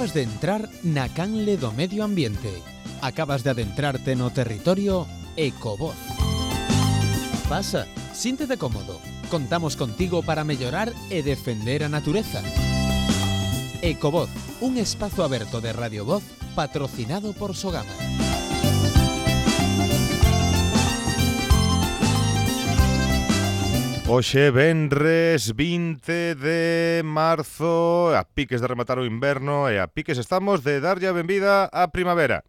Acabas de entrar na canle do medio ambiente. Acabas de adentrarte no territorio Ecovoz. Pasa, síntete cómodo. Contamos contigo para mellorar e defender a natureza. Ecovoz, un espazo aberto de Radio Voz patrocinado por Sogama. Hoxe venres 20 de marzo, a piques de rematar o inverno e a piques estamos de darlle a benvida á primavera.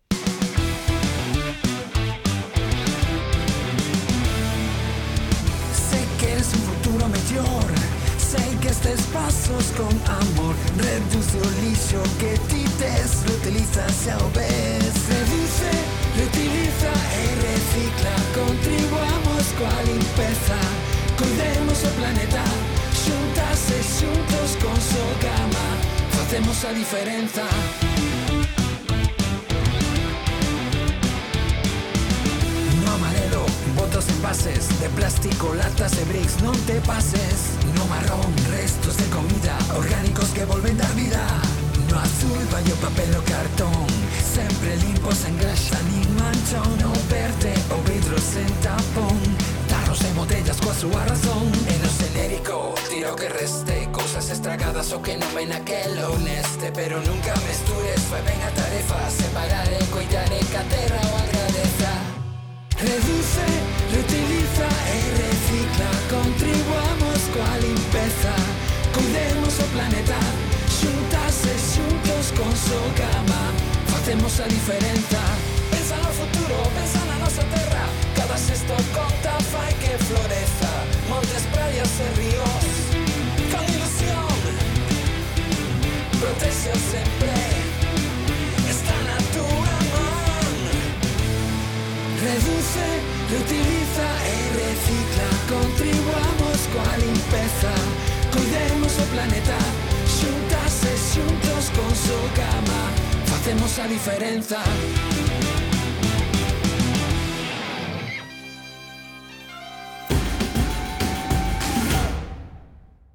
Sé que eres un futuro mellor, sé que estes pasos con amor reduce o lixo que ti tes, reutiliza xa o ves. Reduce, reutiliza e recicla, contribuamos coa limpeza. Cuidemos o planeta, xuntas e xuntos con Sogama, facemos a diferenza. No amarelo, botas en envases de plástico, latas e bricks, non te pases. No marrón, restos de comida, orgánicos que volven dar vida. No azul, vai o papel o cartón, sempre limpos, en grasa nin manchón. No verde, o vidro sen tapón, tarros e botellas coa súa razón. E no xenérico, tiro que reste, cousas estragadas o que non ven aquel ou neste. Pero nunca mestures, fai ben a tarefa, separar e coidar e que a terra o agradeza. Reduce, reutiliza e recicla, contribuamos coa limpeza. Cuidemos o planeta, xuntas e xuntos con Sogama, facemos a diferenza. Pensa no futuro, pensa na nosa terra, cada xesto conta, fai que floreza. Montes, praias e ríos, con ilusión, protexe sempre, está na túa man. Reduce, reutiliza e recicla, contribuamos coa limpeza. Cuidemos o planeta, xuntas e xuntos con Sogama, facemos a diferenza.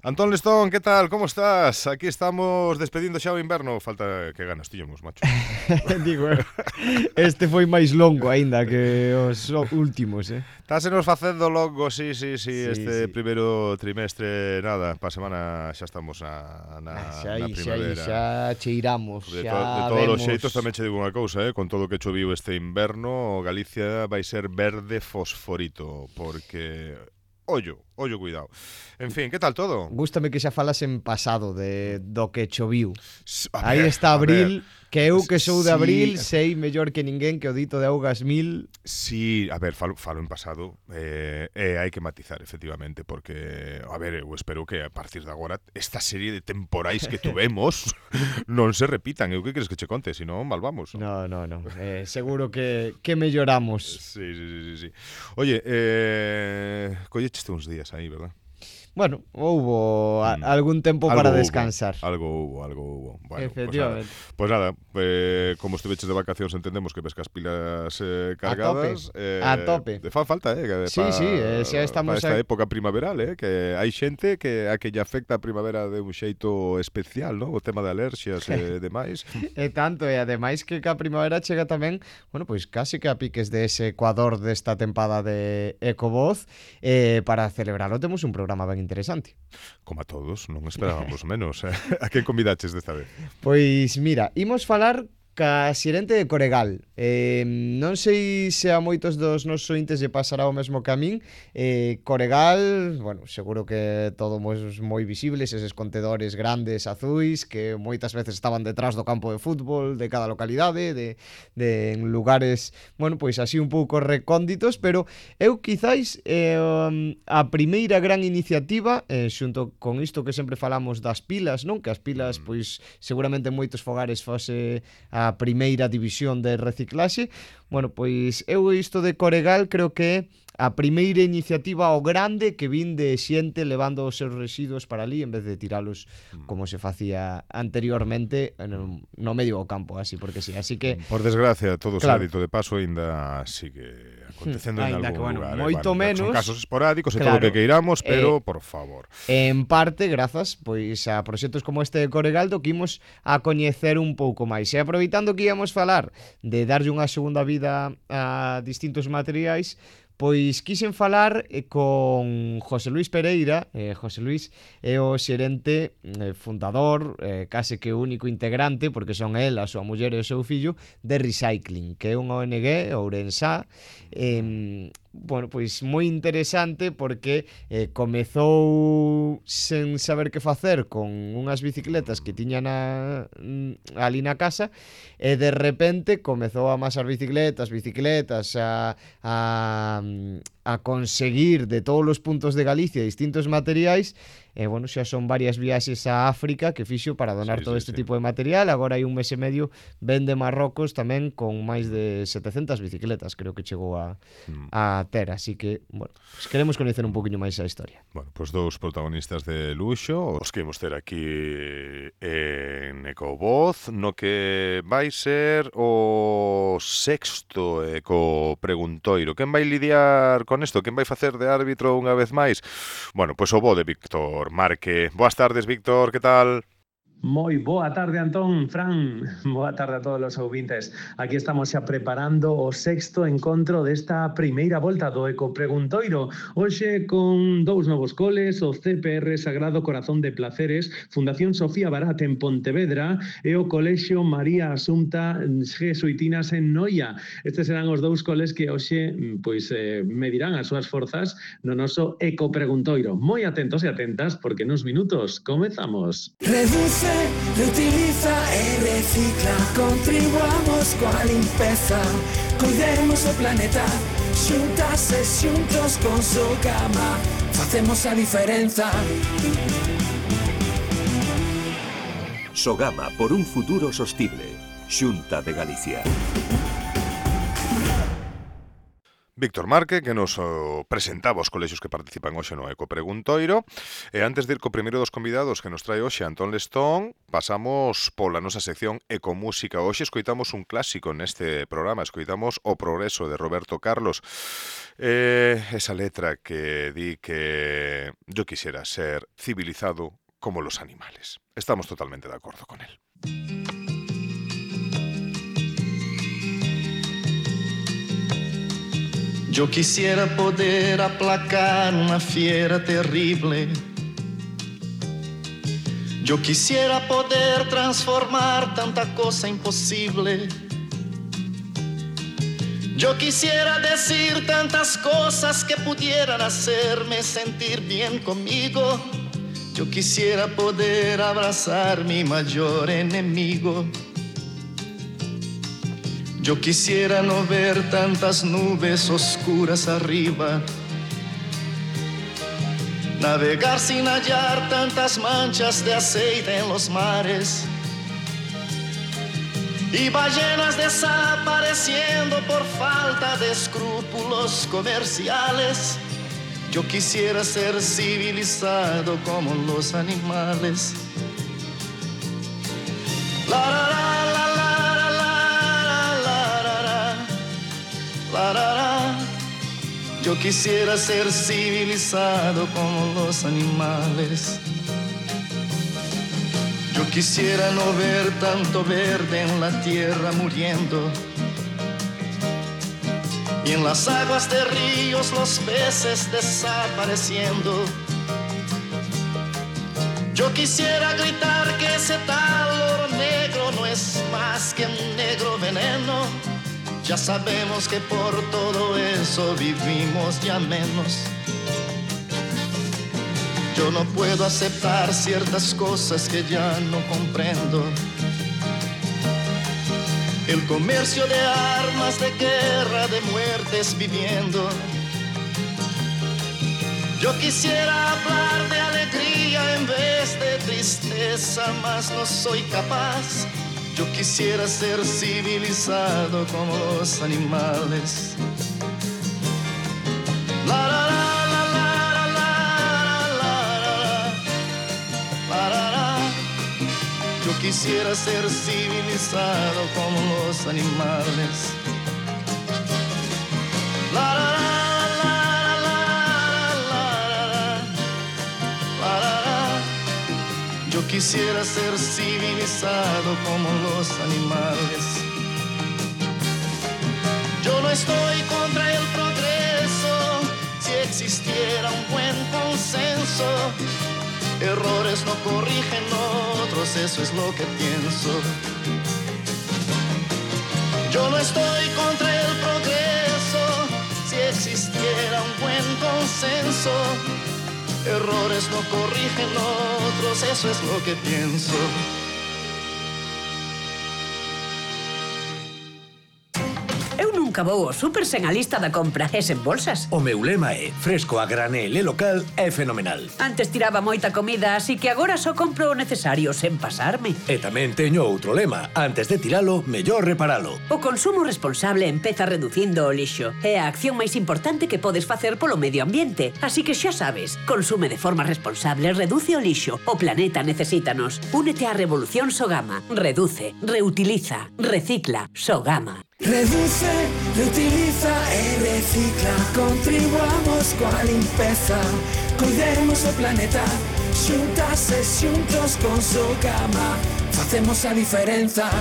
Antón Lestón, ¿qué tal? ¿Cómo estás? Aquí estamos despedindo xa o inverno. Falta que ganas tiñamos, macho. Digo, este foi máis longo aínda que os últimos, Tásenos facendo longo, sí, Sí, este sí. primeiro trimestre, nada, pa semana xa estamos na primavera. Xa cheiramos, De xa todos os vemos. xeitos tamén che digo unha cousa, con todo o que choviu este inverno, Galicia vai ser verde fosforito, porque ollo, cuidado. En fin, que tal todo? Gústame que xa falas en pasado do que choviu. A Aí ver, está a abril, ver. que eu que sou de Sí. abril sei mellor que ninguén que o dito de Augas 1000. Sí, a ver, falo en pasado, hai que matizar, efectivamente, porque, a ver, eu espero que a partir de agora esta serie de temporais que tuvemos non se repitan. Eu que queres que che conte? Se non, mal vamos. No. Seguro que melloramos. Sí. Oye, collecheste uns días aí, verdad? Bueno, houbo algún tempo Algo para hubo, descansar. Algo hubo. Bueno, Efectivamente. Pues nada, como estuveches de vacacións entendemos que ves que as pilas cargadas. A tope. Fa falta, Sí, xa estamos esta a- época primaveral, que hai xente a que lle afecta a primavera de un xeito especial, ¿no? O tema de alerxias e demais. E tanto, e ademais que a primavera chega tamén, bueno, pois casi que a piques de ese Ecuador desta tempada de Ecovoz, para celebrarlo temos un programa ben interesante. Como a todos, non esperábamos menos. A quen convidaches desta vez? Pois mira, imos falar ca xerente de Coregal. Non sei se a moitos dos nosos ointes lle pasará o mesmo que a min. Coregal, bueno, seguro que todo moi visibles, eses contedores grandes azuis que moitas veces estaban detrás do campo de fútbol de cada localidade, en lugares, bueno, pois así un pouco recónditos, pero eu quizáis a primeira gran iniciativa, xunto con isto que sempre falamos das pilas, non? Que as pilas, pois, seguramente en moitos fogares fose a primeira división de reciclaxe. Bueno, pois eu isto de Coregal creo que a primeira iniciativa ao grande que vin de xente levando os seus residuos para ali en vez de tiralos como se facía anteriormente no medio do campo, así porque sí. Así que por desgracia, todo claro, ese dito de paso ainda sigue acontecendo en ainda algún que, bueno, lugar. moito menos. Son casos esporádicos e Claro, todo o que queiramos, pero por favor. En parte, grazas pois a proxectos como este de Coregaldo que imos a coñecer un pouco máis. E aproveitando que íamos falar de darlle unha segunda vida a distintos materiais, pois quixen falar con José Luis Pereira. José Luis é o xerente fundador, case que o único integrante, porque son el, a súa muller e o seu fillo, de Recycling, que é unha ONG ourensá. Bueno, pois moi interesante porque comezou sen saber que facer con unhas bicicletas que tiñan ali na casa e de repente comezou a amasar bicicletas a conseguir de todos os puntos de Galicia distintos materiais. E bueno, xa son varias viaxes a África que fixo para donar todo este tipo de material. Agora hai un mes e medio vende Marrocos tamén con máis de 700 bicicletas, creo que chegou a ter. Así que, bueno, pues queremos coñecer un poquinho máis a historia. Bueno, pues dous protagonistas de luxo os que imos ter aquí en Ecovoz, no que vai ser o sexto Eco Preguntoiro. Quen vai lidiar con isto? Quen vai facer de árbitro unha vez máis? Bueno, pois o bo de Víctor Marque. Boas tardes, Víctor, que tal? Moi boa tarde, Antón, Fran. Boa tarde a todos os ouvintes. Aquí estamos xa preparando o sexto encontro desta primeira volta do Eco Preguntoiro. Hoxe con dous novos coles, o CPR Sagrado Corazón de Placeres, Fundación Sofía Barat en Pontevedra e o Colexio María Asunta Jesuitinas en Noia. Estes serán os dous coles que hoxe medirán as súas forzas no noso Eco Preguntoiro. Moi atentos e atentas porque nuns minutos comezamos. Reduce, reutiliza e recicla. Contribuamos coa limpeza, cuidemos o planeta. Xuntas e xuntos con Sogama facemos a diferenza. Sogama por un futuro sostible. Xunta de Galicia. Víctor Marque, que nos presentaba os colexios que participan hoxe no Eco Preguntoiro. E antes de ir co primeiro dos convidados que nos trae hoxe Antón Lestón, pasamos pola nosa sección Ecomúsica. Hoxe escoitamos un clásico neste programa, escoitamos O Progreso de Roberto Carlos. Esa letra que di que yo quisiera ser civilizado como los animales. Estamos totalmente de acordo con él. Yo quisiera poder aplacar una fiera terrible. Yo quisiera poder transformar tanta cosa imposible. Yo quisiera decir tantas cosas que pudieran hacerme sentir bien conmigo. Yo quisiera poder abrazar mi mayor enemigo. Yo quisiera no ver tantas nubes oscuras arriba, navegar sin hallar tantas manchas de aceite en los mares y ballenas desapareciendo por falta de escrúpulos comerciales. Yo quisiera ser civilizado como los animales. La, la, la. Yo quisiera ser civilizado como los animales. Yo quisiera no ver tanto verde en la tierra muriendo y en las aguas de ríos los peces desapareciendo. Yo quisiera gritar que ese tal oro negro no es más que un negro veneno. Ya sabemos que por todo eso vivimos ya menos. Yo no puedo aceptar ciertas cosas que ya no comprendo. El comercio de armas, de guerra, de muertes viviendo. Yo quisiera hablar de alegría en vez de tristeza, mas no soy capaz. Yo quisiera ser civilizado como los animales. La la la la la la la la la la. Yo quisiera ser civilizado como los animales. La la la la la la la. Yo quisiera ser civilizado como los animales. Yo no estoy contra el progreso, si existiera un buen consenso. Errores no corrigen otros, eso es lo que pienso. Yo no estoy contra el progreso, si existiera un buen consenso. Errores no corrigen otros, eso es lo que pienso. Nunca vou ao super sen a lista da compra e sen bolsas. O meu lema é fresco a granel e local é fenomenal. Antes tiraba moita comida, así que agora só compro o necesario sen pasarme. E tamén teño outro lema. Antes de tiralo, mellor reparalo. O consumo responsable empeza reducindo o lixo. É a acción máis importante que podes facer polo medio ambiente. Así que xa sabes, consume de forma responsable, reduce o lixo. O planeta necesítanos. Únete á revolución Sogama. Reduce, reutiliza, recicla. Sogama. Reduce, reutiliza e recicla. Contribuamos coa limpeza. Cuidemos o planeta. Xuntas e xuntos con Sogama facemos a diferenza.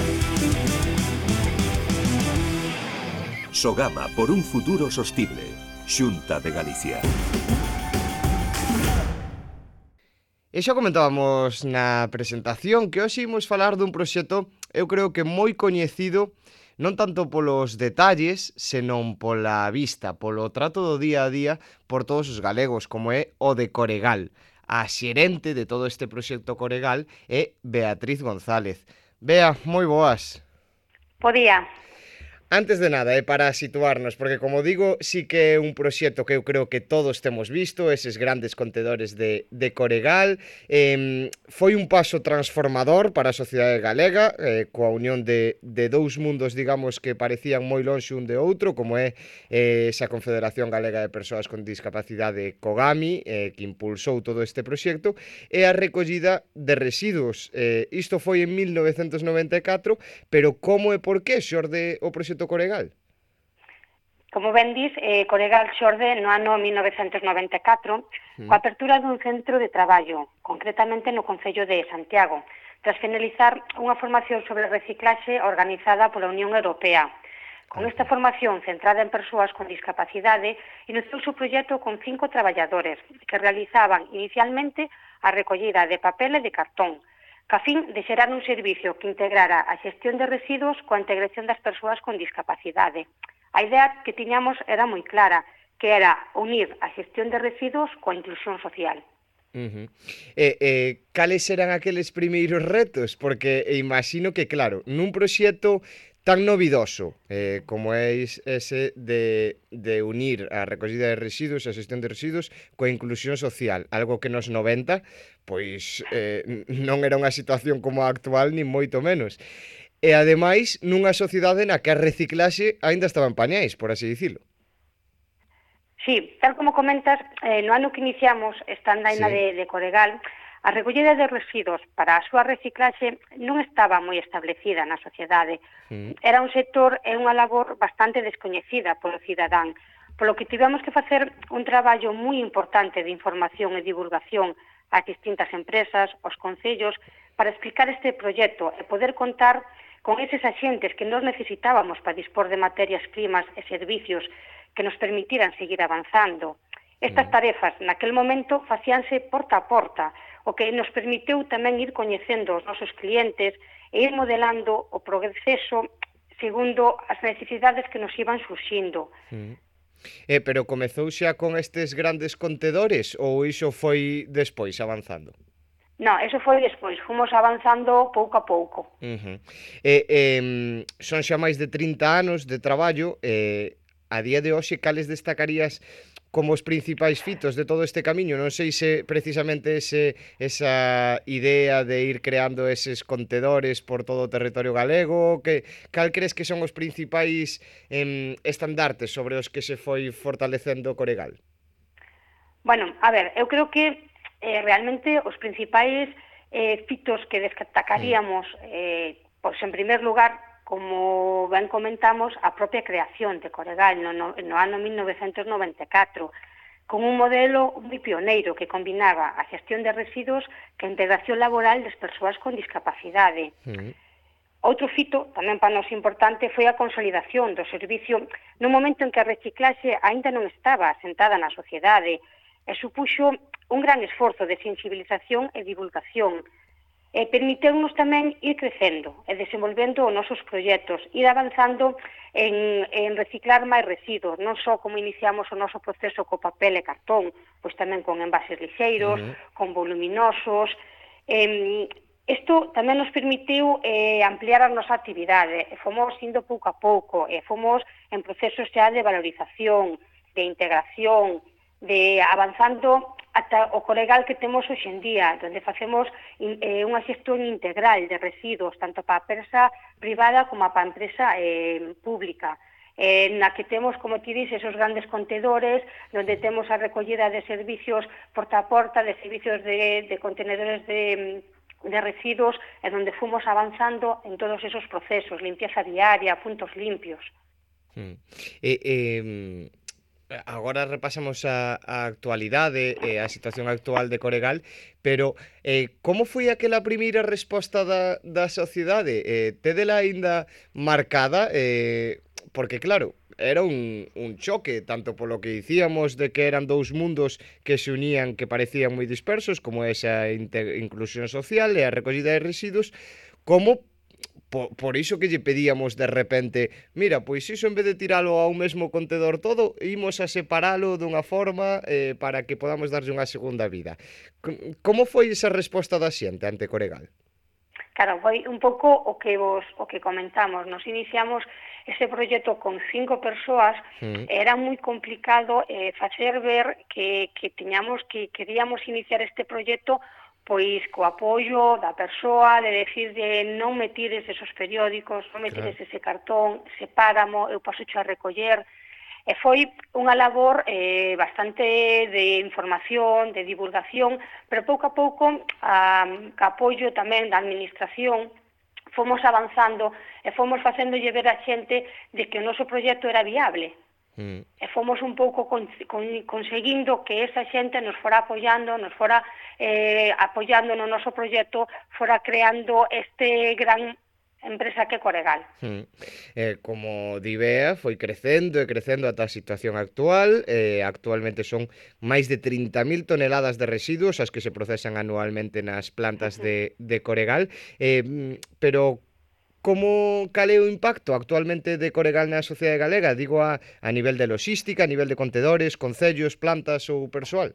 Sogama por un futuro sostible. Xunta de Galicia. E xa comentábamos na presentación que hoxe imos falar dun proxecto, eu creo que moi coñecido, non tanto polos detalles, senón pola vista, polo trato do día a día por todos os galegos, como é o de Coregal. A xerente de todo este proxecto Coregal é Beatriz González. Bea, moi boas. Podía. Antes de nada, para situarnos, porque como digo, sí que é un proxecto que eu creo que todos temos visto, eses grandes contedores de Coregal. Foi un paso transformador para a sociedade galega, coa unión de dous mundos, digamos, que parecían moi lonxe un de outro, como é esa Confederación Galega de Persoas con Discapacidade Cogami, que impulsou todo este proxecto, e a recollida de residuos. Isto foi en 1994, pero como e por que xorde o proxecto Coregal? Como ben dis, Coregal xorde no ano 1994 coa apertura dun centro de traballo, concretamente no Concello de Santiago, tras finalizar unha formación sobre reciclaxe organizada pola Unión Europea. Con esta formación centrada en persoas con discapacidade, iniciou o proxecto con 5 traballadores que realizaban inicialmente a recollida de papel e de cartón, ca fin de xerar un servicio que integrara a xestión de residuos coa integración das persoas con discapacidade. A idea que tiñamos era moi clara, que era unir a xestión de residuos coa inclusión social. Cales eran aqueles primeiros retos? Porque imagino que, claro, nun proxecto tan novidoso como é ese de unir a recollida de residuos, a xestión de residuos coa inclusión social, algo que nos 90 pois non era unha situación como a actual, nin moito menos. E ademais, nunha sociedade na que a reciclaxe aínda estaba en pañais, por así dicilo. Sí, tal como comentas, no ano que iniciamos esta andaina de Coregal, a recollida de residuos para a súa reciclaxe non estaba moi establecida na sociedade. Era un sector e unha labor bastante descoñecida polo cidadán, polo que tivemos que facer un traballo moi importante de información e divulgación ás distintas empresas, aos concellos, para explicar este proxecto e poder contar con eses axentes que nos necesitábamos para dispor de materias primas e servicios que nos permitiran seguir avanzando. Estas tarefas, naquel momento, facíanse porta a porta, o que nos permitiu tamén ir coñecendo os nosos clientes e ir modelando o proceso segundo as necesidades que nos iban surxindo. Pero comezou xa con estes grandes contedores ou iso foi despois, avanzando? Non, eso foi despois, fomos avanzando pouco a pouco. Son xa máis de 30 anos de traballo, a día de hoxe cales destacarías como os principais fitos de todo este camiño? Non sei se precisamente esa idea de ir creando eses contedores por todo o territorio galego, cal crees que son os principais estandartes sobre os que se foi fortalecendo Coregal? Bueno, a ver, eu creo que realmente os principais fitos que destacaríamos, pois en primer lugar, como ben comentamos, a propia creación de Coregal no ano 1994, con un modelo moi pioneiro que combinaba a xestión de residuos que a integración laboral das persoas con discapacidade. Outro fito, tamén para nós importante, foi a consolidación do servicio no momento en que a reciclaxe aínda non estaba asentada na sociedade e supuxo un gran esforzo de sensibilización e divulgación. Permiteu-nos tamén ir crecendo e desenvolvendo os nosos proxectos, ir avanzando en reciclar máis residuos, non só como iniciamos o noso proceso co papel e cartón, pois tamén con envases lixeiros, con voluminosos. Isto tamén nos permitiu ampliar a nosa actividade, e fomos indo pouco a pouco, e fomos en procesos xa de valorización, de integración, de avanzando ata o Coregal que temos hoxe en día, onde facemos unha xestión integral de residuos, tanto para a empresa privada como para a empresa pública, na que temos, como ti dices, esos grandes contedores, onde temos a recollida de servicios porta a porta, de servicios de contenedores de residuos, e onde fomos avanzando en todos esos procesos, limpieza diaria, puntos limpios. Agora repasamos a actualidade e a situación actual de Coregal, pero como foi aquela primeira resposta da sociedade? Tédela aínda marcada? Porque claro, era un choque, tanto polo que dicíamos de que eran dous mundos que se unían, que parecían moi dispersos, como esa inclusión social e a recollida de residuos, como por iso que lle pedíamos de repente, mira, pois iso en vez de tiralo a un mesmo contedor todo, imos a separalo dunha forma para que podamos darlle unha segunda vida. Como foi esa resposta da xente ante Coregal? Claro, foi un pouco o que comentamos. Nos iniciamos ese proxecto con 5 persoas, era moi complicado facer ver que queríamos iniciar este proxecto pois co apoio da persoa, de decir de non me tires esos periódicos, non me tires ese cartón, sepáramo, eu paso a recoller. E foi unha labor bastante de información, de divulgación, pero pouco a pouco, co apoio tamén da administración, fomos avanzando e fomos facéndolle ver a xente de que o noso proxecto era viable. E fomos un pouco conseguindo que esa xente nos fora apoiando, nos fora apoiando no noso proxecto, fora creando este gran empresa que é Coregal. Como di Bea, foi crecendo e crecendo ata a situación actual. Actualmente son máis de 30.000 toneladas de residuos as que se procesan anualmente nas plantas de Coregal. Pero cal é o impacto actualmente de Coregal na sociedade galega? Digo a nivel de logística, a nivel de contedores, concellos, plantas ou persoal?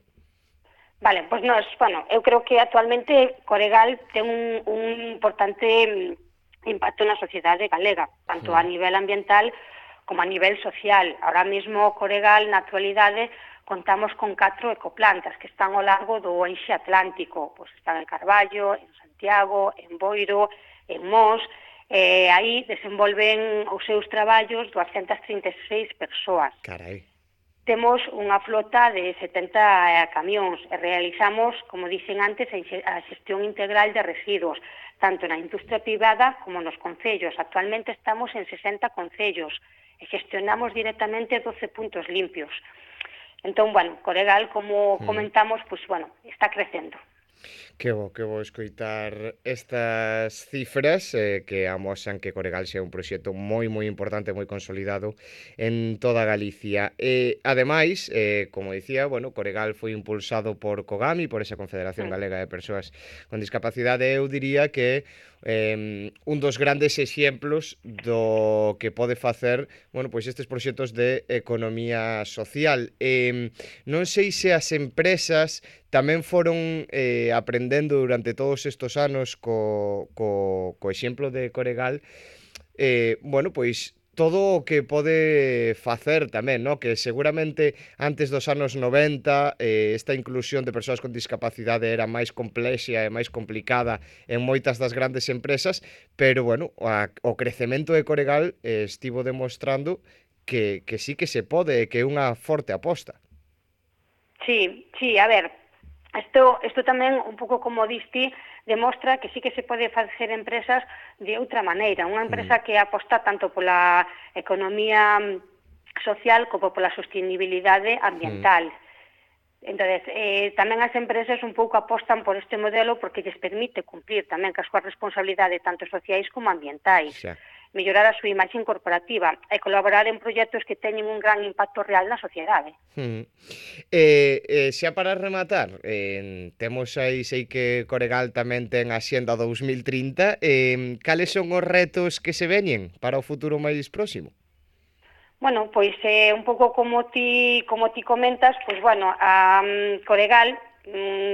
Vale, pois eu creo que actualmente Coregal ten un importante impacto na sociedade galega, tanto a nivel ambiental como a nivel social. Ahora mesmo Coregal, na actualidade, contamos con 4 ecoplantas que están ao largo do eixe atlántico. Pois están en Carballo, en Santiago, en Boiro, en Mos. Aí desenvolven os seus traballos 236 persoas. Carai. Temos unha flota de 70 camións e realizamos, como dixen antes, a xestión integral de residuos, tanto na industria privada como nos concellos. Actualmente estamos en 60 concellos e gestionamos directamente 12 puntos limpios. Entón, Coregal, como comentamos, está crecendo. Que bo escoitar estas cifras que amosan que Coregal sea un proxecto moi importante, moi consolidado en toda Galicia. Ademais, como dicía, Coregal foi impulsado por COGAMI, por esa Confederación Galega de Persoas con Discapacidade. Eu diría que un dos grandes exemplos do que pode facer estes proxectos de economía social. Non sei se as empresas tamén foron aprendendo durante todos estes anos co exemplo de Coregal, todo o que pode facer tamén, que seguramente antes dos anos 90 esta inclusión de persoas con discapacidade era máis complexa e máis complicada en moitas das grandes empresas, pero o crecemento de Coregal estivo demostrando que sí que se pode, que é unha forte aposta. Sí, a ver, isto tamén, un pouco como diste, demostra que sí que se pode facer empresas de outra maneira. Unha empresa que aposta tanto pola economía social como pola sostenibilidade ambiental. Entonces, tamén as empresas un pouco apostan por este modelo porque lles permite cumplir tamén cas súas responsabilidades tanto sociais como ambientais. Mellorar a súa imaxe corporativa e colaborar en proxectos que teñen un gran impacto real na sociedade. Xa para rematar, temos aí, sei que Coregal tamén ten a Xenda 2030, cales son os retos que se veñen para o futuro máis próximo? Bueno, pois un pouco como ti comentas, pois bueno, a Coregal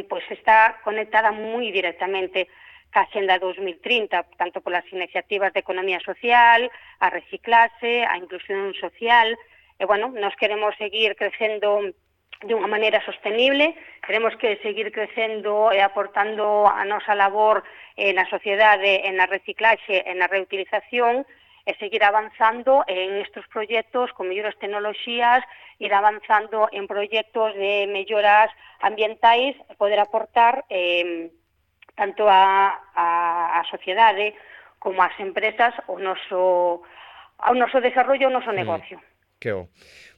pois está conectada moi directamente ca Xenda 2030, tanto polas iniciativas de economía social, a reciclase, a inclusión social, e bueno, nos queremos seguir crecendo de unha maneira sostenible, queremos que seguir crecendo e aportando a nosa labor na sociedade, en a reciclaxe, en a reutilización, e seguir avanzando en estes proxectos con mellores tecnoloxías, ir avanzando en proxectos de melloras ambientais, e poder aportar tanto a sociedade como as empresas ao noso desarrollo, ao noso negocio.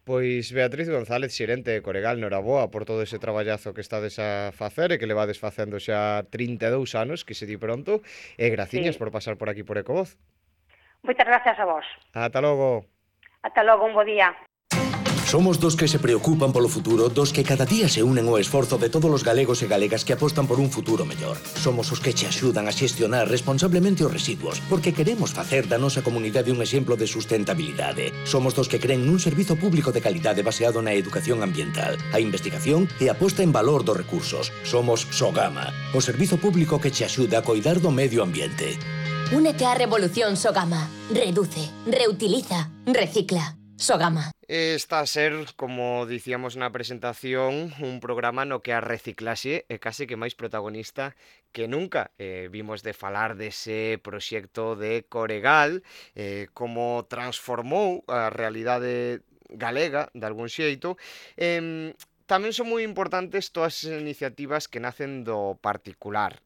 Pois Beatriz González, xerente de Coregal, noraboa por todo ese traballazo que estades a facer e que levades facendo xa 32 anos, que se di pronto, e graciñas por pasar por aquí por Ecovoz. Moitas gracias a vos. Ata logo. Ata logo, un bo día. Somos dos que se preocupan polo futuro, dos que cada día se unen ao esforzo de todos os galegos e galegas que apostan por un futuro mellor. Somos os que che axudan a xestionar responsablemente os residuos, porque queremos facer da nosa comunidade un exemplo de sustentabilidade. Somos dos que creen nun servizo público de calidade baseado na educación ambiental, a investigación e a posta en valor dos recursos. Somos Sogama, o servizo público que che axuda a coidar do medio ambiente. Únete á revolución Sogama. Reduce, reutiliza, recicla. Sogama. Está a ser, como dicíamos na presentación, un programa no que a reciclaxe é case que máis protagonista que nunca. Vimos de falar dese proxecto de Coregal, como transformou a realidade galega, de algún xeito. Tamén son moi importantes todas as iniciativas que nacen do particular.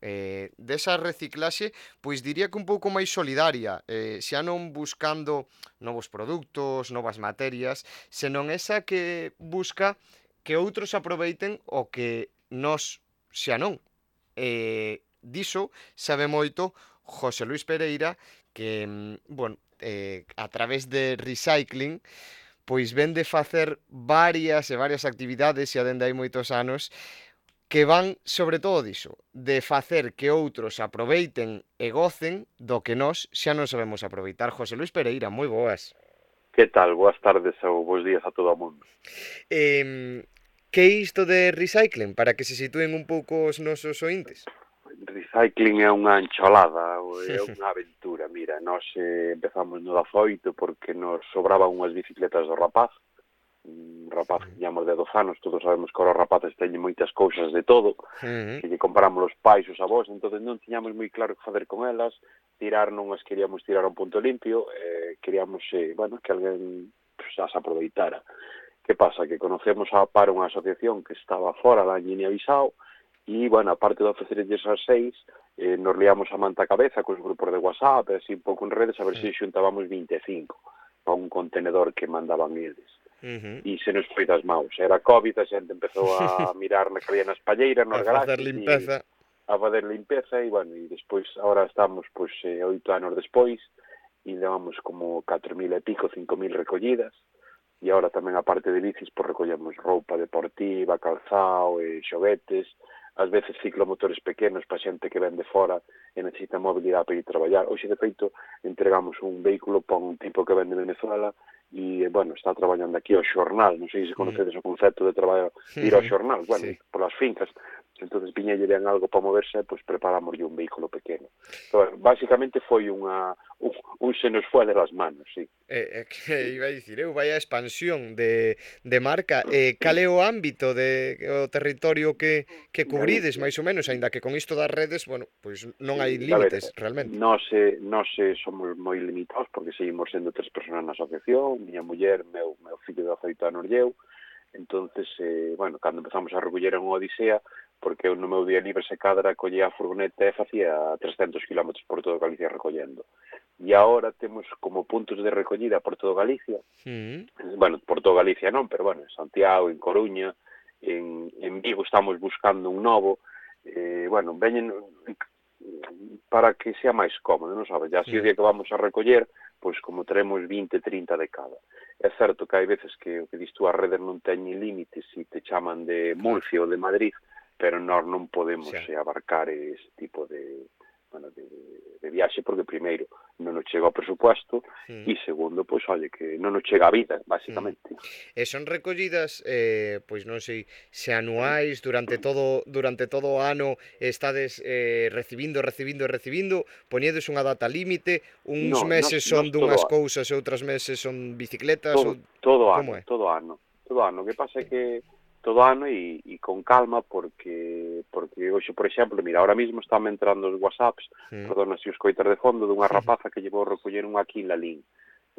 Desa reciclaxe, pois diría que un pouco máis solidaria, xa non buscando novos produtos, novas materias, senón esa que busca que outros aproveiten o que nós xa non. Diso sabe moito José Luis Pereira, que, a través de recycling, pois ven de facer varias actividades xa dende hai moitos anos que van sobre todo diso, de facer que outros aproveiten e gocen do que nós xa non sabemos aproveitar. José Luis Pereira, moi boas. Que tal? Boas tardes ou bons días a todo o mundo. Que é isto de recycling, para que se sitúen un pouco os nosos ointes? Recycling é unha encholada, é unha aventura. Mira, nós empezamos no 18 porque nos sobraban unhas bicicletas do rapaz. Un rapaz que tiñamos de 12 anos, todos sabemos que os rapaces teñen moitas cousas de todo, que lle compramos os pais, os avós, entón non tiñamos moi claro que facer con elas, tirar non as queríamos tirar a un punto limpio, queríamos, que alguén as aproveitara. Que pasa? Que conocemos a par unha asociación que estaba fora da Guinea-Bissau, e, aparte de ofrecerlles as 6, nos liamos a manta a cabeza cos grupos de WhatsApp, así un pouco en redes, a ver se xuntábamos 25 para un contenedor que mandaban eles. E se nos foi das maus. Era COVID, a xente empezou a mirar na que había nas palleiras, nos garaxes, a fazer limpeza, e, despois, agora estamos, 8 anos despois, e levamos como 4.000 e pico, 5.000 recollidas, e agora tamén, a parte de bicis, recollemos roupa deportiva, calzao, xoguetes, ás veces ciclomotores pequenos para xente que ven de fora e necesita mobilidade para ir traballar. Hoxe, de feito, entregamos un vehículo para un tipo que ven de Venezuela e, está traballando aquí ao xornal. Non sei se conocedes o concepto de traballar, ir ao xornal, polas fincas. Entonces, viñelle ben algo para moverse, preparámoslle un vehículo pequeno. Entón, basicamente foi un se nos foi de las manos, sí. Que iba a dicir, vai a expansión de marca. Cal é o ámbito o territorio que cubrides, máis ou menos, aínda que con isto das redes, non hai límites, realmente. Nós somos moi limitados, porque seguimos sendo 3 persoas na asociación, miña muller, meu fillo de 18 anos e eu, Entonces, bueno, cando empezamos a recoller en unha odisea, porque eu no meu día libre se cadra collía a furgoneta e facía 300 km por todo Galicia recollendo. E agora temos como puntos de recollida por todo Galicia, bueno, por todo Galicia non, pero bueno, en Santiago, en Coruña, en Vigo estamos buscando un novo, bueno, veñen para que sea máis cómodo, non sabes? Ya así o día que vamos a recoller, pois como teremos 20, 30 de cada. É certo que hai veces que o que dis tú, as redes non teñen límites se te chaman de Murcia ou de Madrid, pero nós non podemos abarcar ese tipo de viaxe, porque primeiro non nos chega o presupuesto e segundo, pois, oye, que non nos chega a vida, basicamente. E son recollidas, pois non sei, se anuais, durante todo o ano estades recibindo, poñedes unha data límite, uns meses son dunhas cousas e outras meses son bicicletas, todo ano. O que pasa é que todo ano e con calma, porque hoxe, por exemplo, mira, ahora mismo están entrando os WhatsApps, perdona se os coitas de fondo, dunha rapaza que llevou a recoller un aquí en Lalín.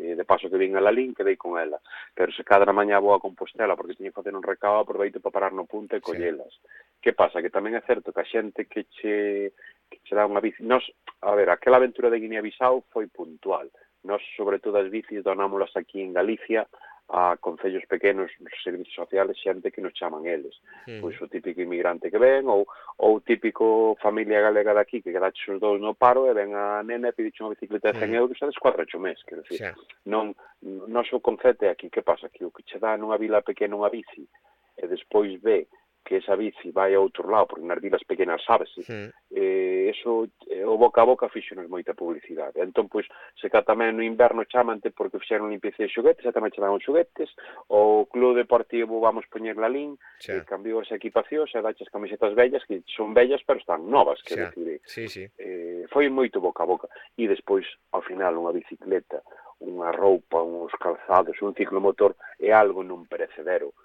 De paso que vin a Lalín, quedei con ela. Pero se cadra mañá vou a Compostela, porque tiña que facer un recado, aproveito para parar no punto e collelas. Que pasa? Que tamén é certo que a xente que che dá unha bici... A ver, aquela aventura de Guinea-Bissau foi puntual. Nos, sobre todo, as bicis donámolas aquí en Galicia a concellos pequenos, nos servicios sociales, xente que nos chaman eles. Pois o típico inmigrante que ven, ou o típico familia galega daqui que quedaches os dous no paro e ven a nena e pediche unha bicicleta de 100 euros e descuadrache o mes, quero dicir. Non o concepto é aquí, que pasa? Que o que che dá nunha vila pequena unha bici e despois ve que esa bici vai a outro lado, porque nas vilas pequenas sabese, eso, o boca a boca fixonos moita publicidade. Entón, pois, se cá tamén no inverno chamante porque fixeron limpieza de xoguetes, e tamén che dan os xoguetes, o club deportivo vamos poñer Lalín, cambiou as equipacións e daches camisetas vellas, que son vellas, pero están novas, que decir, foi moito boca a boca. E despois, ao final, unha bicicleta, unha roupa, uns calzados, un ciclomotor, é algo non perecedero.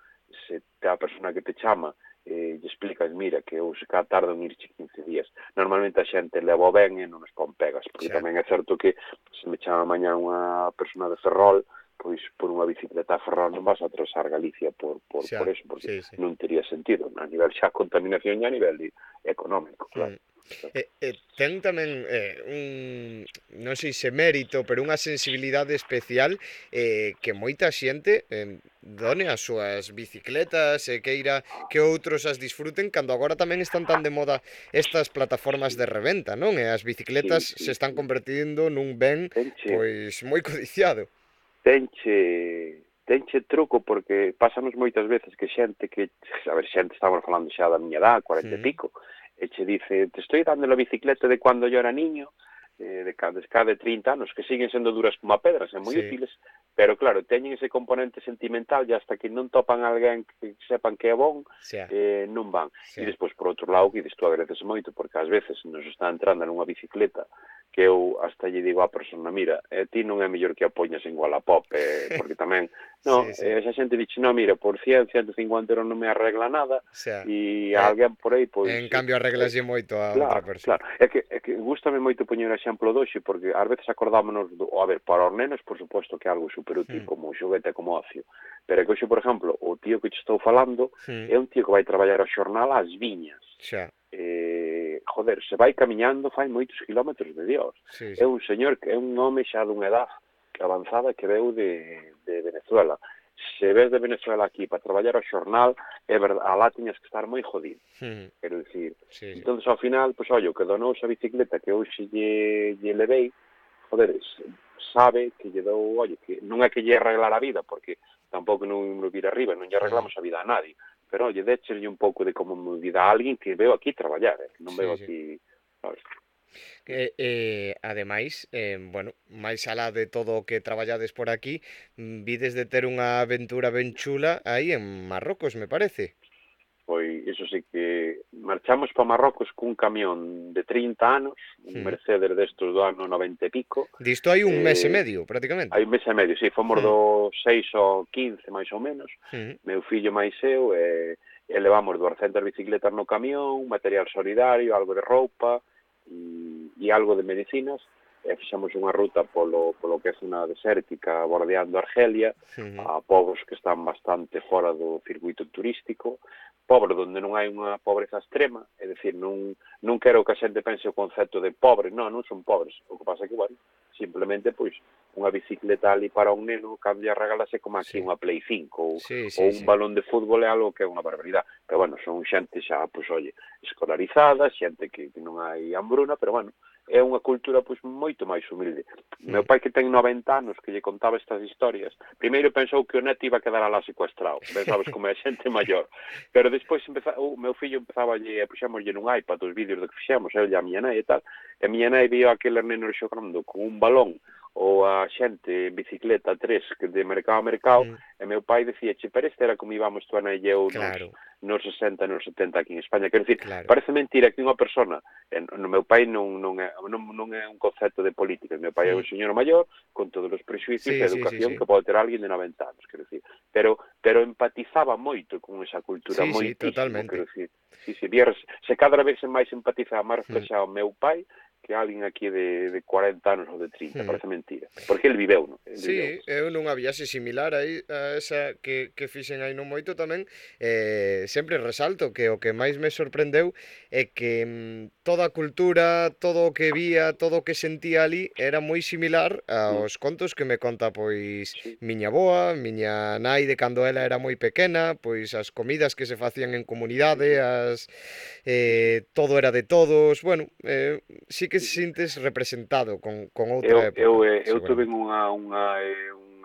Se a persona que te chama lle explicas, mira, que eu se cá tardo en irche 15 días. Normalmente a xente leva ben e non nos pon pegas, porque tamén é certo que se me chama mañá unha persona de Ferrol, pois por unha bicicleta a Ferrol non vas a atravesar Galicia por eso, porque non tería sentido, a nivel xa contaminación e a nivel económico, claro. Ten tamén non sei se mérito, pero unha sensibilidade especial que moita xente done as súas bicicletas e queira que outros as disfruten, cando agora tamén están tan de moda estas plataformas de reventa, non? E as bicicletas se están convertindo nun ben pois moi codiciado. Tenche truco, porque pásanos moitas veces que xente estamos falando xa da miña edad, 40 e pico, e che dice, te estoy dando la bicicleta de cuando yo era niño, de cada 30 anos, que siguen sendo duras como a pedras, e moi útiles, pero claro, teñen ese componente sentimental e hasta que non topan alguén que sepan que é bon, non van. E despois, por outro lado, que isto agradeces moito, porque ás veces nos está entrando nunha bicicleta que eu hasta lle digo á persona, mira, ti non é mellor que a poñas en Wallapop, porque tamén, esa xente dixe, non, mira, por 100, 150 euros non me arregla nada, e alguén por aí, pois... En cambio, arreglaslle moito a outra persona. Claro, é que gústame moito poñer o exemplo doxe, porque ás veces acordámonos, a ver, para os nenos, por suposto que é algo superútil, como xoguete, como ocio, pero é que hoxe, por exemplo, o tío que te estou falando é un tío que vai traballar ao xornal ás viñas. Joder, se vai camiñando, fai moitos kilómetros de Dios. É un señor, que é un home xa dunha edad avanzada que veu de Venezuela. Se ves de Venezuela aquí para traballar ao xornal, é verdade, alá tiñas que estar moi jodido. Quero dicir, entón, ao final, pois, ollo, que donou esa bicicleta que hoxe lle levei, joder, sabe que lle dou, ollo, que non é que lle arreglar a vida, porque tampouco non me vir arriba, non lle arreglamos a vida a nadie, pero, oye, décheslle un pouco de comodidade a alguén que veo aquí traballar, non veo aquí, sabes? Ademais, bueno, máis alá de todo o que traballades por aquí, vides de ter unha aventura ben chula aí en Marrocos, me parece. Pois, iso sí que marchamos para Marrocos cun camión de 30 anos, un Mercedes destos do ano 90 e pico. Disto hai un mes e medio, prácticamente. Hai un mes e medio, sí, fomos do 6 ao 15, máis ou menos, meu fillo máis eu, e levamos 200 bicicletas no camión, material solidario, algo de roupa, e algo de medicinas, fixemos unha ruta polo que é zona desértica, bordeando Argelia, a povos que están bastante fora do circuito turístico, pobres onde non hai unha pobreza extrema, é dicir, non quero que a xente pense o concepto de pobre, non son pobres, o que pasa é que, bueno, simplemente, pois, unha bicicleta ali para un neno cambia a regalase como aquí unha Play 5 ou un balón de fútbol é algo que é unha barbaridade, pero, bueno, son xente xa, pois, oye, escolarizada, xente que non hai hambruna, pero, bueno, é unha cultura pois moito máis humilde. Meu pai que ten 90 anos que lle contaba estas historias, primeiro pensou que o neto iba a quedar alá secuestrado, ben sabes como é xente maior, pero despois o meu fillo empezaba a puxámoslle nun iPad os vídeos do que fixemos, ele e a miña nai e tal, e a miña nai vio aquele neno xogando con un balón ou a xente en bicicleta 3 que de mercado a mercado, e meu pai decía, pero este era como íbamos tú, Ana e eu nos 60, nos 70 aquí en España. Quero dicir, parece mentira que unha persona, no meu pai non é un concepto de política, meu pai é un señor maior, con todos os prejuicios de educación que pode ter alguén de 90 anos, quero dicir, pero empatizaba moito con esa cultura, moitísimo, totalmente. Quero dicir, se cada vez máis empatizaba, máis reflexado meu pai, que alguén aquí de 40 anos ou de 30, parece mentira. Porque ele viveu, non? Eu nunha viaxe similar aí a esa que fixen aí non moito tamén, sempre resalto que o que máis me sorprendeu é que toda a cultura, todo o que vía, todo o que sentía ali era moi similar aos contos que me conta pois miña avoa, miña nai de cando ela era moi pequena, pois as comidas que se facían en comunidade, todo era de todos, bueno, sí que se sintes representado con outra época. Eu tuve unha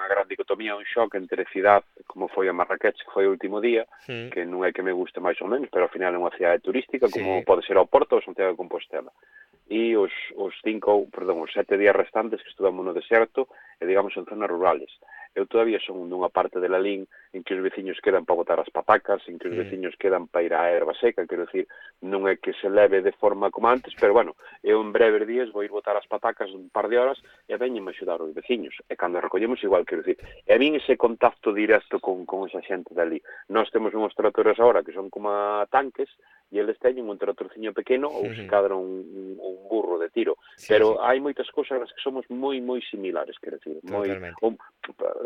gran dicotomía, un shock entre cidade, como foi a Marrakech, que foi o último día, que non é que me guste máis ou menos, pero ao final é unha cidade turística, como pode ser o Porto ou Santiago de Compostela. E os 7 días restantes que estuvemos no deserto, e digamos en zonas rurales. Eu todavía son dunha parte de Lalín en que os veciños quedan para botar as patacas, en que os veciños quedan para ir á erva seca, quero dicir, non é que se leve de forma como antes, pero, bueno, eu en breves días vou ir botar as patacas un par de horas e veñenme axudar os veciños. E cando recollemos igual, quero dicir, e a min ese contacto directo con esa xente dali. Nós temos uns tractores agora que son como tanques, e eles teñen un tractorciño pequeno ou se cadra un burro de tiro. Pero hai moitas cousas nas que somos moi, moi similares, quero dicir.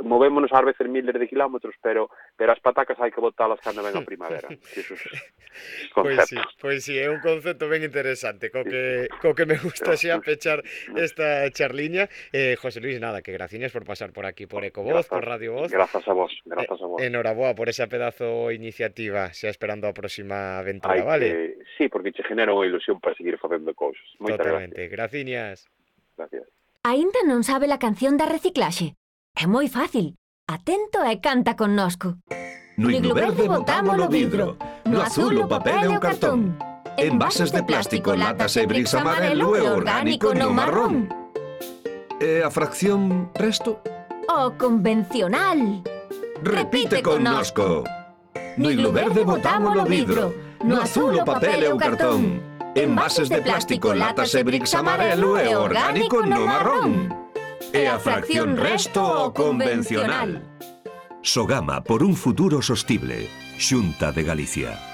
Movémonos ás veces miles de kilómetros, pero as patacas hai que botalas cando ven a primavera. Pois sí, é un concepto ben interesante, co que me gusta xa pechar esta charliña. José Luis, nada, que graciñas por pasar por aquí, por Ecovoz, por Radio Voz. Grazas a vos. Enhoraboa por esa pedazo iniciativa, xa esperando a próxima aventura, vale? Sí, porque che genera unha ilusión para seguir facendo cousas. Totalmente, graciñas. Gracias. Aínda non sabe la canción da reciclaxe? É moi fácil. Atento e canta connosco. No iglo verde botamos o vidro, no azul o papel e o cartón. Envases de plástico, latas e bricks amarelo e orgánico no marrón. E a fracción resto? O convencional. Repite connosco. No iglo verde botamos o vidro, no azul o papel e o cartón. Envases de plástico, latas e bricks amarelo e orgánico no marrón. E a fracción resto o convencional. Sogama por un futuro sostible. Xunta de Galicia.